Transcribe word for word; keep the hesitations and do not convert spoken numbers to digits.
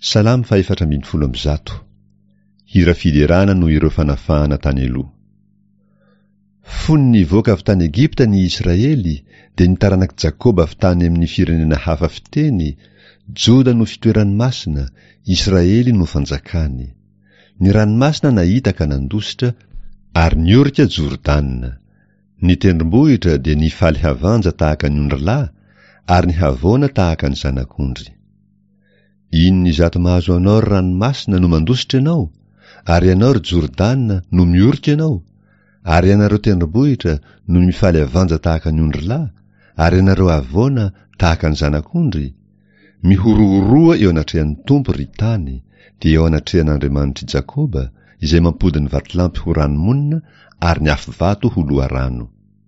Salamo fahefatra ambin'ny folo amby zato. Hira fiderana noho ireo fanafahana tany aloha. Fony nivoaka avy tany Egypta ny Israely, dia ny taranak'i Jakoba avy tany amin'ny firenena hafa fiteny, Joda no fitoerany masina, Israely no fanjakany. Ny ranomasina nahita ka nandositra, ary niorika Jordana. Ny tendrombohitra dia nifaly havanja tahaka ny ondrilahy, ary ny havoana tahaka ny zanak'ondry. Inona izato mahazo anao ry ranomasina no mandositra ianao, ary ianao ry Jordana no miorika ianao, ary ianareo tendrombohitra no mifaly avanja tahaka ny ondrilahy, ary ianareo havoana tahaka ny zanak'ondry? Mihorohoroa eo anatrehan'ny Tompo ry tany, dia eo anatrehan'Andriamanitr'i Jakoba, izay mampody ny vatolampy ho ranomonina ary ny afovato ho loharano.